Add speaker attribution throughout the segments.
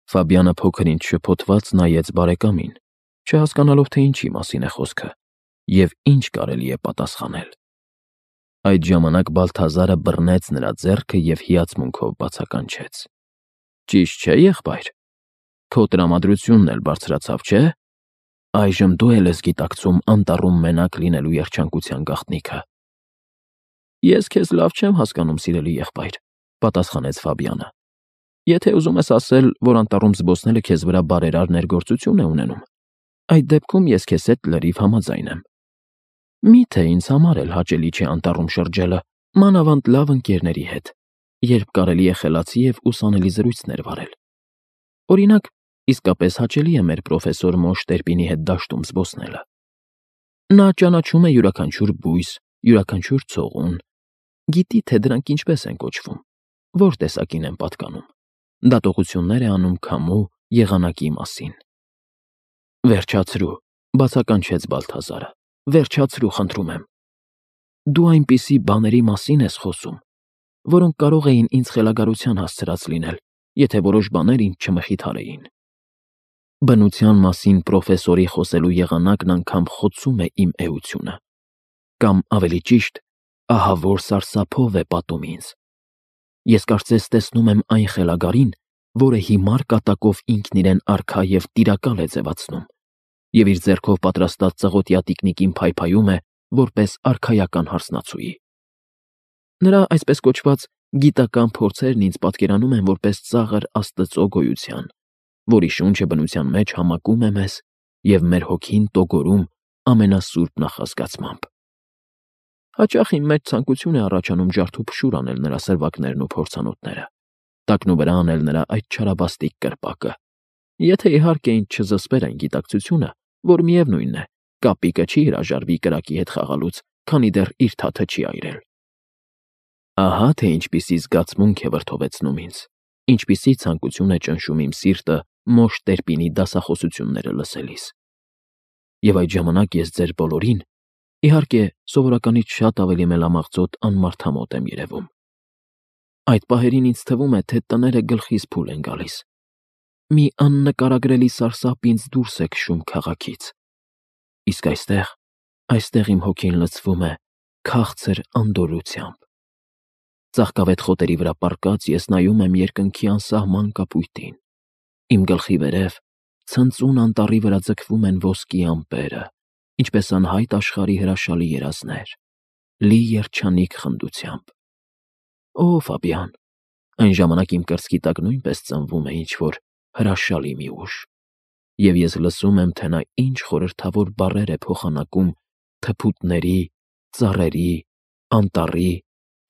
Speaker 1: Ֆաբիանը փոքր-ինչ շփոթված նայեց բարեկամին, չհասկանալով, թե ինչի մասին է խոսքը և ինչ կարելի է պատասխանել։ Այդ ժամանակ Բալթազարը բռնեց նրա ձեռքը և հիացմունքով բացականչեց. «Ճիշտ չէ, եղբայր, քո տրամադրությունն էլ բարձրացավ, չէ՞։ Այժմ դու էլ ես գիտակցում անտառում մենակ լինելու երջանկության գաղտնիքը»։ «Ես քեզ լավ չեմ հասկանում, սիրելի եղբայր», պատասխանեց Ֆաբիանը։ «Եթե ուզում ես ասել, որ անտառում զբոսնելը քեզ վրա բարերար ներգործություն է ունենում, այդ դեպքում ես քեզ հետ լրիվ համաձայն եմ։ Միթե ինձ համար էլ հաճելի չէ անտառում շրջելը, մանավանդ լավ ընկերների հետ, երբ կարելի է խելացի և ուսանելի զրույցներ վարել։ Օրինակ, իսկապես հաճելի է մեր պրոֆեսոր Մոշ Տերպինի հետ դաշտում զբոսնելը։ Նա ճանաչում է յուրաքանչյուր բույս, յուրաքանչյուր ցողուն, գիտի, թե դրանք ինչպես են կոչվում, որ տեսակին են պատկանում, դատողություններ է անում քամու, եղանակի մասին»։ «Վերջացրու», բացականչեց Բալթազարը, «վերջացրու, խնդրում եմ։ Դու այնպիսի բաների մասին ես խոսում, որոնք կարող էին ինձ խելագարության հասցրած լինել, եթե որոշ բաներ ինձ չմխիթարեին։ Բնության մասին պրոֆեսորի խոսելու եղանակն անգամ խոցում է իմ էությունը, կամ ավելի ճիշտ, ահավոր սարսափով է պատում ինձ։ Ես կարծես տեսնում եմ այն խելագարին, որը հիմար կատակով ինքն իրեն արքա և տիրակալ է ձևացնում, և իր ձեռքով պատրաստած ծղոտյա տիկնիկին փայփայում է որպես արքայական հարսնացուի։ Նրա այսպես կոչված գիտական փորձերն ինձ պատկերանում են որպես ծաղր Աստծո գոյության, որի շունչը բնության մեջ համակում է մեզ և մեր հոգին տոգորում ամենասուրբ նախազգացմամբ։ Հաճախ իմ մեջ ցանկություն է առաջանում ջարդուփշուր անել նրա սրվակներն ու փորձանոթները, տակնուվրա անել նրա այդ չարաբաստիկ կրպակը, եթե իհարկե ինձ չզսպեր այն գիտակցությունը, որ միևնույն է, կապիկը չի հրաժարվի կրակի հետ խաղալուց, քանի դեռ իր թաթը չի այրել։ Ահա թե ինչպիսի զգացմունք է վրդովեցնում ինձ, ինչպիսի ցանկություն է ճնշում իմ սիրտը Մոշ Տերպինի դասախոսությունները լսելիս։ Եվ այդ ժամանակ ես ձեր բոլորին, իհարկե, սովորականից շատ ավելի մելամաղձոտ անմարդամոտ եմ երևում։ Այդ պահերին ինձ թվում է, թե տները գլխիս փուլ են գալիս։ Մի աննկարագրելի սարսափ ինձ դուրս է քշում քաղաքից։ Իսկ այստեղ իմ հոգին լցվում է քաղցր անդորրությամբ։ Ծաղկավետ խոտերի վրա պառկած ես նայում եմ երկնքի անսահման կապույտին։ Իմ գլխի վերև ցնծուն անտառի վրա ձգվում են ոսկի ամպերը, ինչպես անհայտ աշխարհի հրաշալի երազներ, լի երջանիկ խնդությամբ։ Օ, Ֆաբիան, այն ժամանակ իմ կրծքի տակ նույնպես ծնվում է ինչ-որ հրաշալի մի ուժ, և ես լսում եմ, թե նա ինչ խորհրդավոր բառեր է փոխանակում թփուտների, ծառերի, անտառի,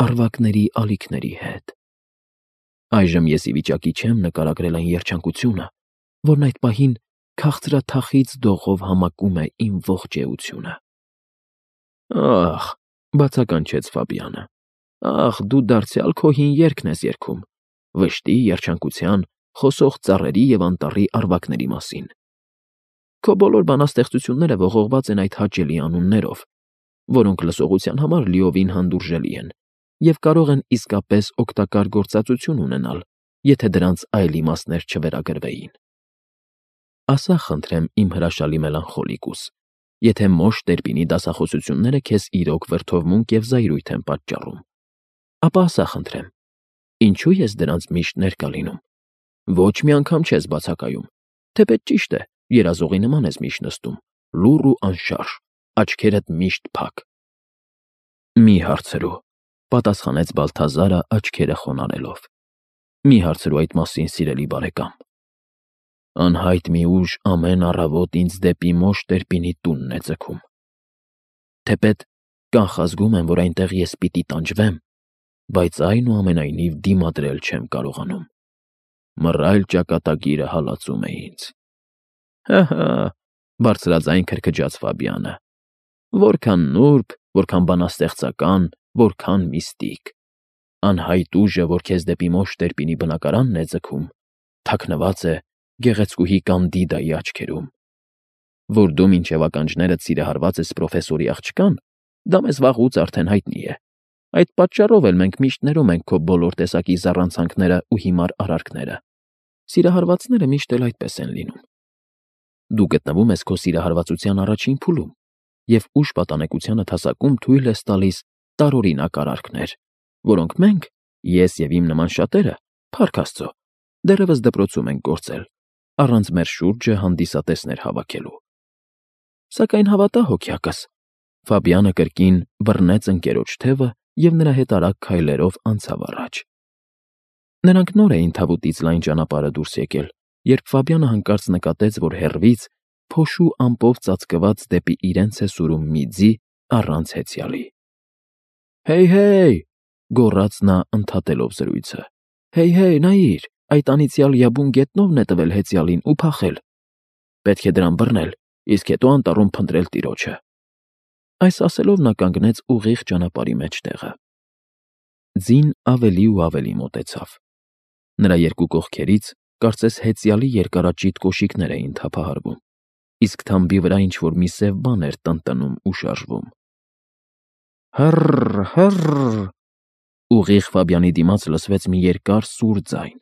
Speaker 1: առվակների ալիքների հետ։ Այժմ ես ի վիճակի չեմ նկարագրել այն երջանկությունը, որն այդ պահին քաղցրաթախիծ դողով համակում է իմ ողջ էությունը։ Ահ, բացականչեց Ֆաբիանը, ահ, դու դարձյալ քո հին երգն ես երգում, վշտի, երջանկության, խոսող ծառերի և անտառի առվակների մասին։ Քո բոլոր բանաստեղծությունները ողողված են այդ հաճելի անուններով, որոնք լսողության համար լիովին հանդուրժելի են և կարող են իսկապես օգտակար գործածություն ունենալ, եթե դրանց այլ իմաստներ չվերագրվեին։ Ասա, խնդրեմ, իմ հրաշալի մելանխոլիկուս, եթե Մոշ Տերպինի դասախոսությունները քեզ իրոք վրդովմունք և զայրույթ են պատճառում, ապա ասա, խնդրեմ, ինչու ես դրանց միշտ ներկա լինում։ Ոչ մի անգամ չես բացակայում, թեպետ ճիշտ է, երազողի նման ես միշտ նստում, լուռ ու անշարժ, աչքերդ միշտ փակ։ Մի հարցրու, պատասխանեց Բալթազարը աչքերը խոնարհելով։ Մի հարցրու այդ մասին, սիրելի բարեկամ։ Անհայտ մի ուժ ամեն առավոտ ինձ դեպի Մոշ Տերպինի տունն է ձգում։ Թեպետ կանխազգում եմ, որ այնտեղ ես պիտի տանջվեմ, բայց այնուամենայնիվ դիմադրել չեմ կարողանում։ Մռայլ ճակատագիրը հալածում է ինձ։ Հը, բարձրաձայն քրքջաց Ֆաբիանը։ Որքան նուրբ, որքան բանաստեղծական, որքան միստիկ։ Անհայտ ուժը, որ քեզ դեպի Մոշ Տերպինի բնակարանն է ձգում, թաքնված է գեղեցկուհի Կանդիդայի աչքերում։ Որ դու մինչև ականջներդ սիրահարված ես պրոֆեսորի աղջկան, դա մեզ վաղուց արդեն հայտնի է։ Այդ պատճառով էլ մենք միշտ ներում ենք քո բոլոր տեսակի զառանցանքները ու հիմար արարքները։ Սիրահարվածները միշտ էլ այդպես են լինում։ Դու գտնվում ես քո սիրահարվածության առաջին փուլում, և ուշ պատանեկությանդ հասակում թույլ ես տալիս տարօրինակ արարքներ, որոնք մենք, ես և իմ նման շատերը, փառք Աստծո, դեռևս դպրոցում ենք գործել, առանց մեր շուրջը հանդիսատեսներ հավաքելու։ Սակայն հավատա, հոգյակս, Ֆաբիանը կրկին բռնեց ընկերոջ թևը և նրա հետ արագ քայլերով անցավ առաջ։ Նրանք նոր էին թավուտից լայն ճանապարհը դուրս եկել, երբ Ֆաբիանը հանկարծ նկատեց, որ հեռվից փոշու ամպով ծածկված դեպի իրենց է սուրում մի ձի առանց հեծյալի։ «Հեյ, գոռաց նա ընդհատելով զրույցը։ «Հեյ, նայիր, այդ անիծյալ յաբուն գետնովն է տվել հեծյալին ու փախել։ Պետք է դրան բռնել, իսկ հետո անտառում փնտրել տիրոջը»։ Այս ասելով նա կանգնեց ուղիղ ճանապարհի մեջտեղը։ Ձին ավելի ու ավելի մոտեցավ։ Նրա երկու կողքերից կարծես հեծյալի երկարաճիտ կոշիկներ էին թափահարվում, իսկ թամբի վրա ինչ-որ մի սև բան էր տնտնում ու շարժվում։ Հըռ։ Ուղիղ Ֆաբիանի դիմաց լսվեց մի երկար սուր ձայն,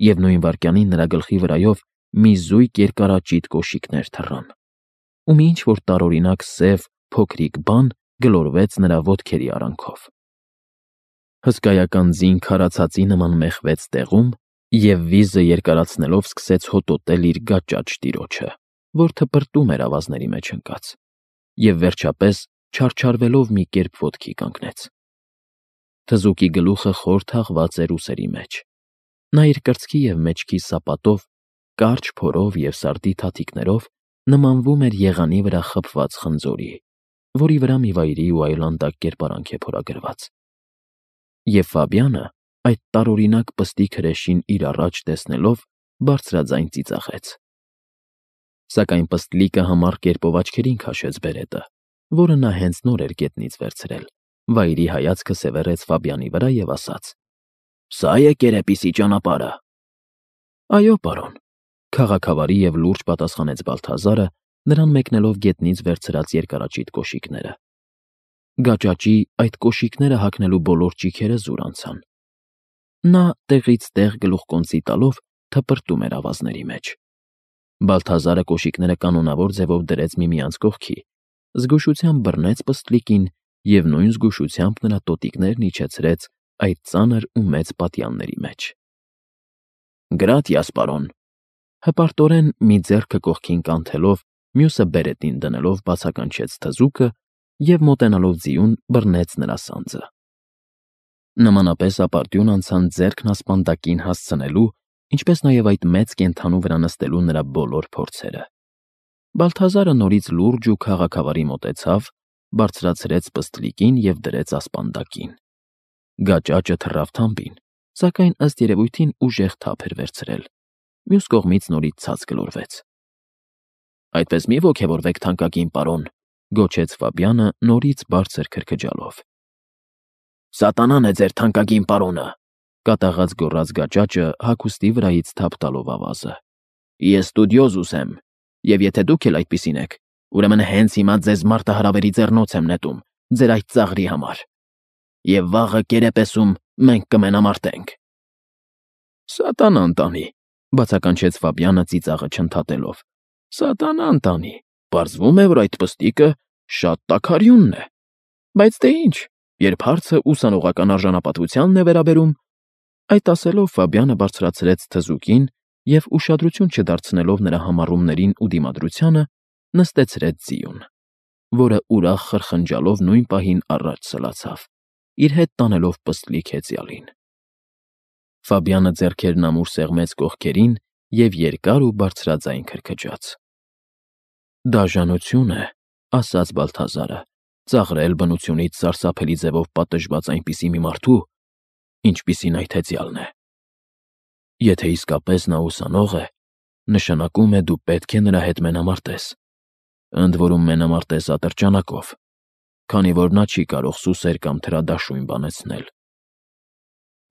Speaker 1: և նույն վայրկյանին նրա գլխի վրայով մի զույգ երկարաճիտ կոշիկներ թռան, ու մի ինչ-որ տարօրինակ սև, փոքրիկ բան գլորվեց նրա ոտքերի արանքով։ Հսկայական ձին քարացածի նման մեխվեց տեղում և վիզը երկարացնելով սկսեց հոտոտել իր գաճաճ տիրոջը, որ թպրտում էր ավազների մեջ ընկած, և վերջապես չարչարվելով մի կերպ ոտքի կանգնեց։ Թզուկի գլուխը խոր թաղված էր ուսերի մեջ։ Նա իր կրծքի և մեջքի սապատով, կարճ փորով և սարդի թաթիկներով նմանվում էր եղանի վրա խփված խնձորի, որի վրա մի վայրի ու այլանդակ կերպարանք է փորագրված։ Եվ Ֆաբիանը, այդ տարօրինակ պստիկ հրեշին իր առաջ տեսնելով, բարձրաձայն ծիծաղեց։ Սակայն պստլիկը համառ կերպով աչքերին քաշեց բերետը, որը նա հենց նոր էր գետնից վերցրել, վայրի հայացքը սևեռեց Ֆաբիանի վրա և ասաց. «Սա՞ է կերեպիսի ճանապարհը»։ «Այո, պարոն», քաղաքավարի և լուրջ պատասխանեց Բալթազարը, նրան մեկնելով գետնից վերցրած երկարաճիտ կոշիկները։ Գաճաճի այդ կոշիկները հագնելու բոլոր ճիգերը զուր անցան։ Նա տեղից տեղ գլուխկոնծի տալով թպրտում էր ավազների մեջ։ Բալթազարը կոշիկները կանոնավոր ձևով դրեց միմյանց կողքի, զգուշությամբ բռնեց պստլիկին և նույն զգուշությամբ նրա տոտիկներն իջեցրեց այդ ծանր ու մեծ պատյանների մեջ։ «Գրատիաս, պարոն», հպարտորեն մի ձեռքը կողքին կանթելով, մյուսը բերետին դնելով բացականչեց թզուկը և մոտենալով ձիուն բռնեց նրա սանձը։ Նմանապես ապարդյուն անցան ձեռքն ասպանդակին հասցնելու, ինչպես նաև այդ մեծ կենդանու վրա նստելու նրա բոլոր փորձերը։ Բալթազարը նորից լուրջ ու քաղաքավարի մոտեցավ, բարձրացրեց պստլիկին և դրեց ասպանդակին։ Գաճաճը թռավ թամբին, սակայն ըստ երևույթին ուժեղ թափ էր վերցրել, մյուս կողմից նորից ցած գլորվեց։ «Այդպես մի ոգևորվեք, թանկագին պարոն», գոչեց Ֆաբիանը նորից բարձր քրքջալով։ «Սատանան է ձեր թանկագին պարոնը», կատաղած գոռաց գաճաճը հագուստի վրայից թափ տալով ավազը։ «Ես ստուդիոզուս եմ, և եթե դուք էլ այդպիսին եք, ուրեմն հենց հիմա ձեզ մարտահրավերի ձեռնոց եմ նետում ձեր այդ ծաղրի համար, և վաղը կերեպեսում մենք կմենամարտենք»։ «Սատանան տանի», բացականչեց Ֆաբիանը ծիծաղը չընդհատելով։ «Սատանան տանի, պարզվում է, որ այդ պստիկը շատ տաքարյունն է։ Բայց դե ինչ, երբ հարցը ուսանողական արժանապատվությանն է վերաբերում»։ Այդ ասելով Ֆաբիանը բարձրացրեց թզուկին և, ուշադրություն չդարձնելով նրա համառումներին ու դիմադրությանը, նստեցրեց ձիուն, որը ուրախ խրխնջալով նույն պահին առաջ սլացավ, իր հետ տանելով պստլիկ հեծյալին։ Ֆաբիանը ձեռքերն ամուր սեղմեց կողքերին և երկար ու բարձրաձայն քրքջաց։ «Դաժանություն է», ասաց Բալթազարը, «ծաղրել բնությունից սարսափելի ձևով պատժված այնպիսի մի մարդու, ինչպիսին այդ հեծյալն է։ Եթե իսկապես նա ուսանող է, նշանակում է դու պետք է նրա հետ մենամարտես, ընդ որում մենամարտես ատրճանակով, քանի որ նա չի կարող սուսեր կամ թրադաշույն բանեցնել»։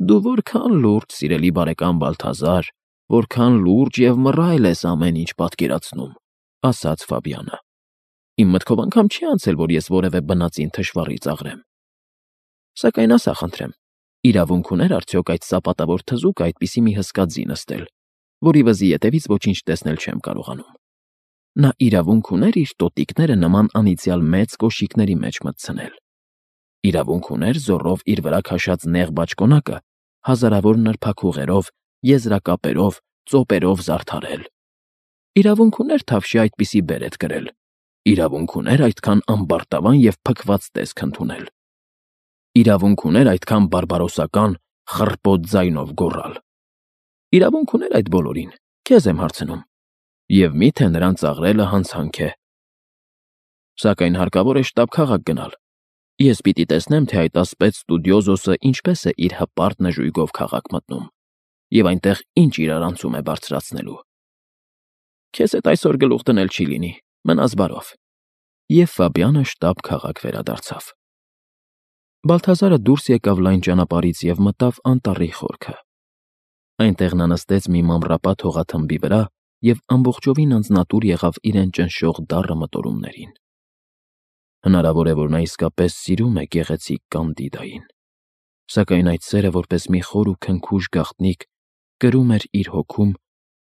Speaker 1: «Դու որքան լուրջ, սիրելի բարեկամ Բալթազար, որքան լուրջ և մռայլ ես ամեն ինչ պատկերացնում», ասաց Ֆաբիանը։ «Իմ մտքով անգամ չի անցել, որ ես որևէ բնածին թշվառի ծաղրեմ։ Սակայն ասա խնդրեմ, իրավունք ուներ արդյոք այդ սապատավոր թզուկը այդպիսի մի հսկա ձի նստել, որի վզի ետևից ոչինչ տեսնել չեմ կարողանում։ Նա իրավունք ուներ իր տոտիկները նման անիծյալ մեծ կոշիկների մեջ մտցնել։ Իրավունք ուներ զոռով իր վրա քաշած նեղ բաճկոնակը հազարավոր նրբաքուղերով, եզրակապերով, ծոպերով զարդարել։ Իրավունք ուներ թավշի այդպիսի բերետ կրել։ Իրավունք ուներ այդքան ամբարտավան և փքված տեսք ընդունել։ Իրավունք ուներ այդքան բարբարոսական, խռպոտ ձայնով գոռալ։ Իրավունք ուներ այդ բոլորին, քեզ եմ հարցնում, և միթե նրան ծաղրելը հանցանք է։ Սակայն հարկավոր է շտապ քաղաք գնալ։ Ես պիտի տեսնեմ, թե այդ ասպետ ստուդիոզոսը ինչպես է իր հպարտ նժույգով քաղաք մտնում, և այնտեղ ինչ իրարանցում է բարձրացնելու։ Քեզ հետ այսօր գլուխ դնել չի լինի, մնաս բարով։ Եվ Ֆաբիանը շտապ քաղաք վերադարձավ։ Բալթազարը դուրս եկավ լայն ճանապարհից և մտավ անտառի խորքը։ Այնտեղ նա նստեց մի մանրապատ հողաթմբի վրա և ամբողջովին անձնատուր եղավ իրեն ճնշող դառը մտորումներին։ Հնարավոր է, որ նա իսկապես սիրում է գեղեցիկ Կանդիդային, սակայն այդ սերը, որպես մի խոր ու քնքուշ գաղտնիք, կրում էր իր հոգում,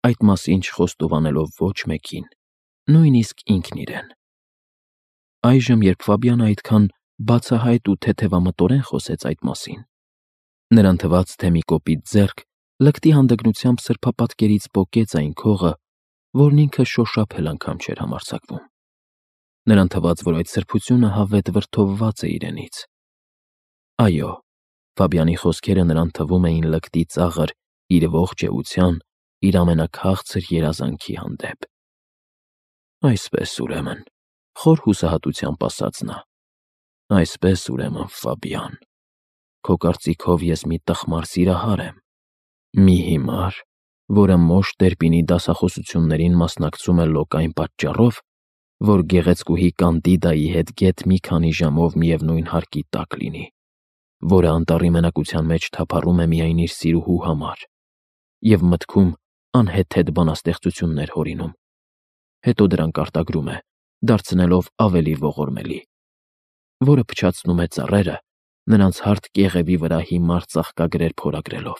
Speaker 1: այդ մասին չխոստովանելով ոչ մեկին, նույնիսկ ինքն իրեն։ Այժմ, երբ Ֆաբիանը այդքան բացահայտ ու թեթևամտորեն խոսեց այդ մասին, նրան թվաց, թե մի կոպիտ ձեռք լկտի հանդգնությամբ սրբապատկերից պոկեց այն քողը, որն ինքը շոշափել անգամ չէր համարձակվում։ Նրան թվաց, որ այդ սրբությունը հավետ վրդովված է իրենից։ Այո, Ֆաբիանի խոսքերը նրան թվում էին լկտի ծաղր իր ողջ էության, իր ամենաքաղցր երազանքի հանդեպ։ Այսպես, ուրեմն, խոր հուսահատությամբ ասաց նա, այսպես, ուրեմն, Ֆաբիան, քո կարծիքով ես մի տխմար սիրահար եմ, մի հիմար, որը մոշ Տերպինի դասախոսություններին մասնակցում է լոկ այն պատճառով, որ գեղեցկուհի Կանդիդայի հետ գեթ մի քանի ժամով միևնույն հարկի տակ լինի, որը անտառի մենակության մեջ թափառում է միայն իր սիրուհու համար և մտքում անհեթեթ բանաստեղծություններ հորինում, հետո դրանք արտագրում է, դարձնելով ավելի ողորմելի, որը փչացնում է ծառերը, նրանց հարթ կեղևի վրա հիմար ծաղկագրեր փորագրելով,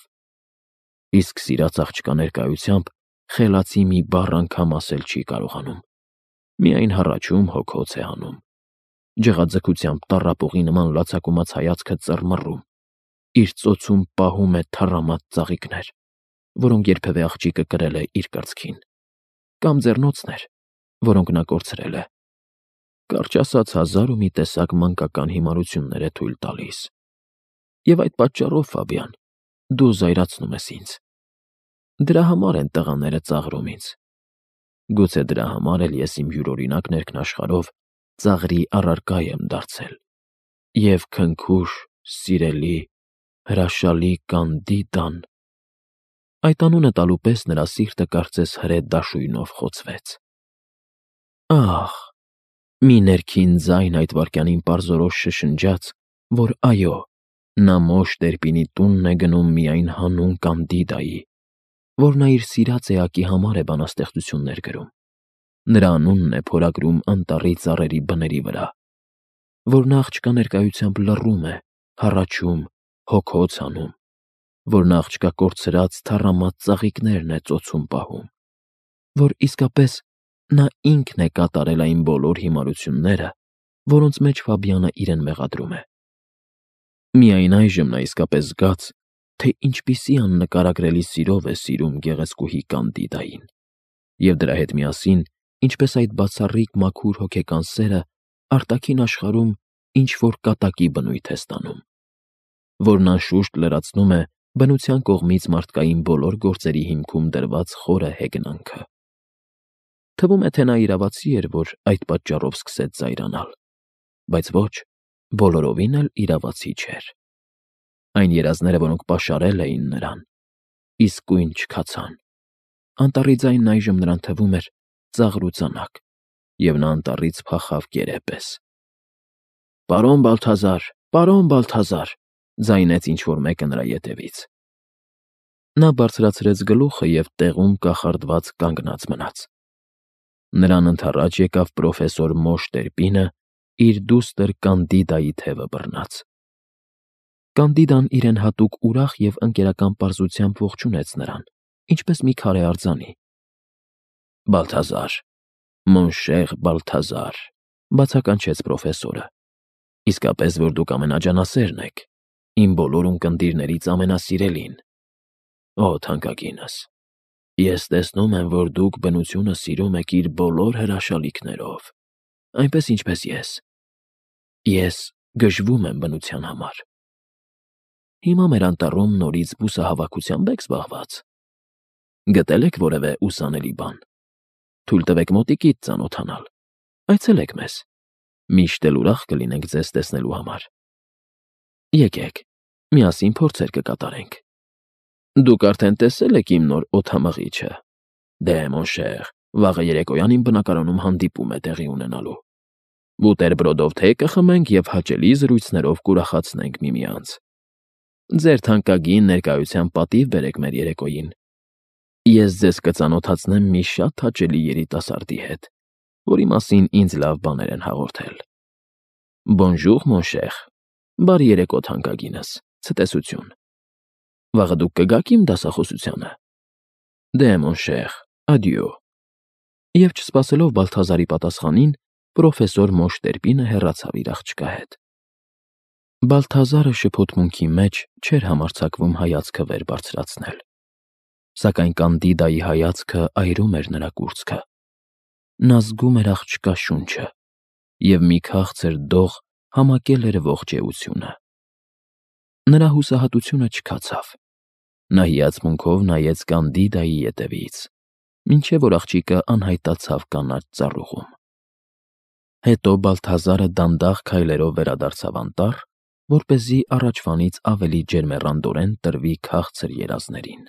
Speaker 1: իսկ սիրած աղջկա ներկայությամբ խելացի մի բառ անգամ ասել չի կարողանում, միայն հառաչում հոգոց է անում, ջղաձգությամբ տառապողի նման լացակումած հայացքը ծռմռում, իր ծոցում պահում է թառամած ծաղիկներ, որոնք երբևէ աղջիկը կրել է իր կրծքին, կամ ձեռնոցներ, որոնք նա կորցրել է, կարճ ասած, հազար ու մի տեսակ մանկական հիմարություններ է թույլ տալիս։ Եվ այդ պատճառով, Ֆաբիան, դու զայրացնում ես ինձ։ Դրա համար են տղաները ծաղրում ինձ։ Գուցե դրա համար էլ ես իմ յուրօրինակ ներքնաշխարհով ծաղրի առարկա եմ դարձել, և քնքուշ, սիրելի, հրաշալի Կանդիդան… Այդ անունը տալու պես նրա սիրտը կարծես հրե դաշույնով խոցվեց։ Ահ, մի ներքին ձայն այդ վայրկյանին պարզորոշ շշնջաց, որ այո, նա մոշ Տերպինի տունն է գնում միայն հանուն Կանդիդայի, որ նա իր սիրած էակի համար է բանաստեղծություններ գրում, նրա անունն է փորագրում անտառի ծառերի բների վրա, որ նա աղջկա ներկայությամբ լռում է, հառաչում, հոգոց անում, որ նա աղջկա կորցրած թառամած ծաղիկներն է ծոցում պահում, որ իսկապես նա ինքն է կատարել այն բոլոր հիմարությունները, որոնց մեջ Ֆաբիանը իրեն մեղադրում է։ Միայն այժմ նա իսկապես զգաց, թե ինչպիսի աննկարագրելի սիրով է սիրում գեղեցկուհի Կանդիդային, և դրա հետ միասին, ինչպես այդ բացառիկ մաքուր հոգեկան սերը արտաքին աշխարհում ինչ-որ կատակի բնույթ է ստանում, որն անշուշտ լրացնում է բնության կողմից մարդկային բոլոր գործերի հիմքում դրված խորը հեգնանքը։ Թվում է, թե նա իրավացի էր, որ այդ պատճառով սկսեց զայրանալ, բայց ոչ, բոլորովին էլ իրավացի չէր։ Այն երազները, որոնք պաշարել էին նրան, իսկույն չքացան։ Անտառի ձայնն այժմ նրան թվում էր ծաղր ու ծանակ, և նա անտառից փախավ կերեպես։ Պարոն Բալթազար, ձայնեց ինչ-որ մեկը նրա ետևից։ Նա բարձրացրեց գլուխը և տեղում կախարդված կանգնած մնաց։ Նրան ընդառաջ եկավ պրոֆեսոր Մոշ Տերպինը իր դուստր Կանդիդայի թևը բռնած։ Կանդիդան իրեն հատուկ ուրախ և ընկերական պարզությամբ ողջունեց նրան, ինչպես մի քարե արձանի։ Բալթազար, Մոնշեղ Բալթազար, բացականչեց պրոֆեսորը։ Իսկապես, որ դուք ամենաջանասերն եք, իմ բոլոր ունկնդիրներից ամենասիրելին։ Օ, թանկագինս, ես տեսնում եմ, որ դուք բնությունը սիրում եք իր բոլոր հրաշալիքներով, այնպես ինչպես ես։ Ես գժվում եմ բնության համար։ Հիմա մեր անտառում նորից բուսահավաքությամբ եք զբաղված։ Գտել եք որևէ ուսանելի բան։ Թույլ տվեք մոտիկից ծանոթանալ։ Այցելեք մեզ։ Միշտ էլ ուրախ կլինենք ձեզ տեսնելու համար։ Եկեք, միասին փորձեր կկատարենք։ Դուք արդեն տեսել եք իմ նոր օդամղիչը։ Դե, մոնշեղ, վաղը երեկոյան իմ բնակարանում հանդիպում է տեղի ունենալու։ Բուտերբրոդով թե կխմենք և հաճելի զրույցներով կուրախացնենք միմյանց։ Ձեր թանկագին ներկայության պատիվ բերեք մեր երեկոյին։ Ես ձեզ կծանոթացնեմ մի շատ հաճելի երիտասարդի հետ, որի մասին ինձ լավ բաներ են հաղորդել։ Բոնժուր, մոնշեղ, բարի երեկո թանկագինս, ցտեսություն։ Վաղը դուք կգաք իմ դասախոսությանը։ Դե, մոնշեղ, ադյո։ Եվ չսպասելով Բալթազարի պատասխանին, պրոֆեսոր Մոշտերպինը հեռացավ իր աղջկա հետ։ Բալթազարը շփոթմունքի մեջ չէր համարձակվում հայացքը վեր բարձրացնել, սակայն Կանդիդայի հայացքը այրում էր նրա կուրծքը։ Նա զգում էր աղջկա շունչը, և մի քաղցր դող համակել էր ողջ էությունը։ Նրա հուսահատությունը չքացավ։ Նա հիացմունքով նայեց Կանդիդայի ետևից, մինչև որ աղջիկը անհայտացավ կանաչ ծառուղում։ Հետո Բալթազարը դանդաղ քայլերով վերադարձավ անտառ, որպեսզի առաջվանից ավելի ջերմեռանդորեն տրվի քաղցր երազներին։